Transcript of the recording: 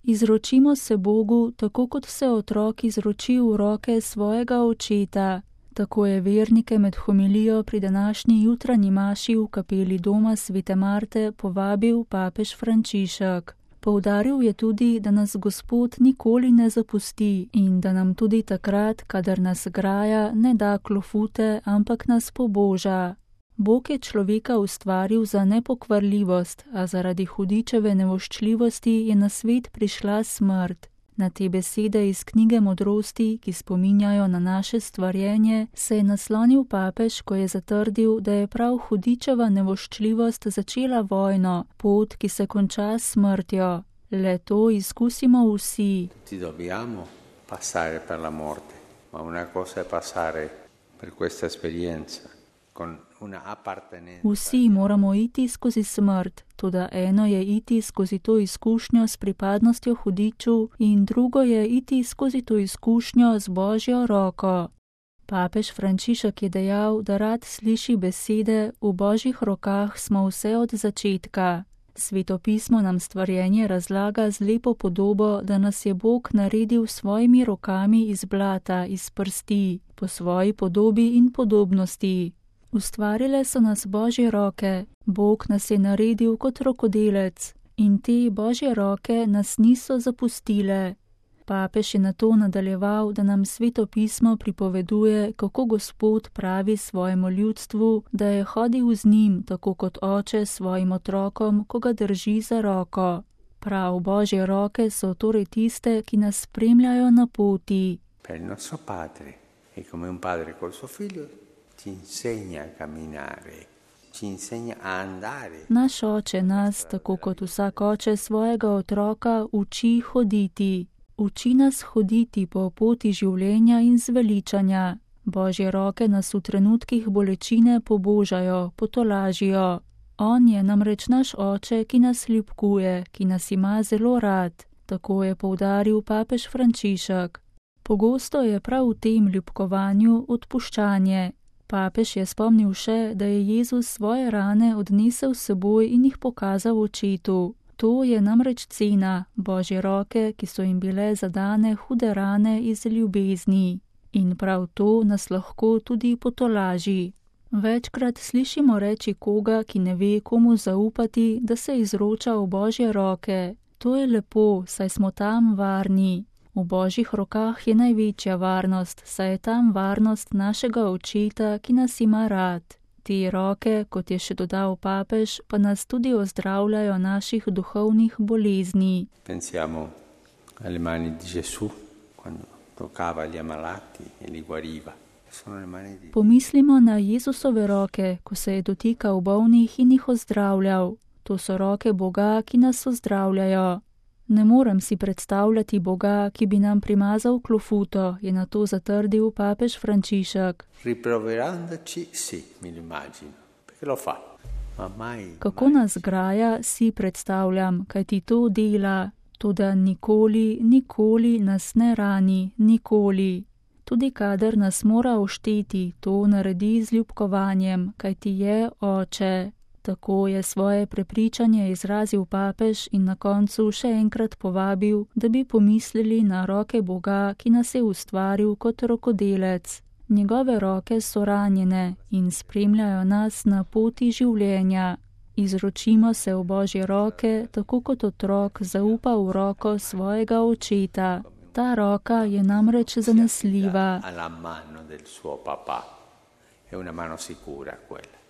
Izročimo se Bogu, tako kot se otrok izroči v roke svojega očeta. Tako je vernike med homilijo pri današnji jutranji maši v kapeli doma Svete Marte povabil papež Frančišek. Poudaril je tudi, da nas Gospod nikoli ne zapusti in da nam tudi takrat, kadar nas graja, ne da klofute, ampak nas poboža. Bog je človeka ustvaril za nepokvarljivost, a zaradi hudičeve nevoščljivosti je na svet prišla smrt. Na te besede iz knjige Modrosti, ki spominjajo na naše stvarjenje, se je naslonil papež, ko je zatrdil, da je prav hudičeva nevoščljivost začela vojno, pot, ki se konča s smrtjo. Le to izkusimo vsi. Ti dobbiamo passare per la morte, ma una cosa è passare per questa esperienza con una appartenenza. Vsi moramo iti skozi smrt, toda eno je iti skozi to izkušnjo s pripadnostjo hudiču in drugo je iti skozi to izkušnjo z Božjo roko. Papež Frančišek je dejal, da rad sliši besede: v Božjih rokah smo vse od začetka. Sveto pismo nam stvarjenje razlaga z lepo podobo, da nas je Bog naredil s svojimi rokami iz blata, iz prsti, po svoji podobi in podobnosti. Ustvarile so nas Božje roke, Bog nas je naredil kot rokodelec in te Božje roke nas niso zapustile. Papež je nato nadaljeval, da nam Sveto pismo pripoveduje, kako Gospod pravi svojemu ljudstvu, da je hodil z njim, tako kot oče svojim otrokom, ko ga drži za roko. Prav Božje roke so torej tiste, ki nas spremljajo na poti. Per il nostro padre, e come un padre col suo figlio, ci insegna a camminare, ci insegna a andare. Naš oče nas, tako kot vsak oče svojega otroka, uči hoditi. Uči nas hoditi po poti življenja in zveličanja. Božje roke nas v trenutkih bolečine pobožajo, potolažijo. On je namreč naš oče, ki nas ljubkuje, ki nas ima zelo rad. Tako je poudaril papež Frančišek. Pogosto je prav v tem ljubkovanju odpuščanje. Papež je spomnil še, da je Jezus svoje rane odnesel s seboj in jih pokazal očetu. To je namreč cena, Božje roke, ki so jim bile zadane hude rane iz ljubezni. In prav to nas lahko tudi potolaži. Večkrat slišimo reči koga, ki ne ve, komu zaupati, da se izroča v Božje roke. To je lepo, saj smo tam varni. V Božjih rokah je največja varnost, saj je tam varnost našega očeta, ki nas ima rad. Te roke, kot je še dodal papež, pa nas tudi ozdravljajo naših duhovnih bolezni. Pensiamo alle mani di Gesù, quando toccava gli ammalati e li guariva. Sono le mani di... Pomislimo na Jezusove roke, ko se je dotikal bolnih in jih ozdravljal. To so roke Boga, ki nas ozdravljajo. Ne morem si predstavljati Boga, ki bi nam primazal klofuto, je na to zatrdil papež Frančišek. Riproverandoci, sì, mi immagino, perché lo fa. Ma mai... Kako nas graja, si predstavljam, kaj ti to dela, toda nikoli, nikoli nas ne rani, nikoli. Tudi kadar nas mora ošteti, to naredi z ljubkovanjem, kaj ti je oče. Tako je svoje prepričanje izrazil papež in na koncu še enkrat povabil, da bi pomislili na roke Boga, ki nas je ustvaril kot rokodelec. Njegove roke so ranjene in spremljajo nas na poti življenja. Izročimo se v Božje roke, tako kot otrok zaupa v roko svojega očeta. Ta roka je namreč zanesljiva. Alla mano del suo papà. È una mano sicura quella.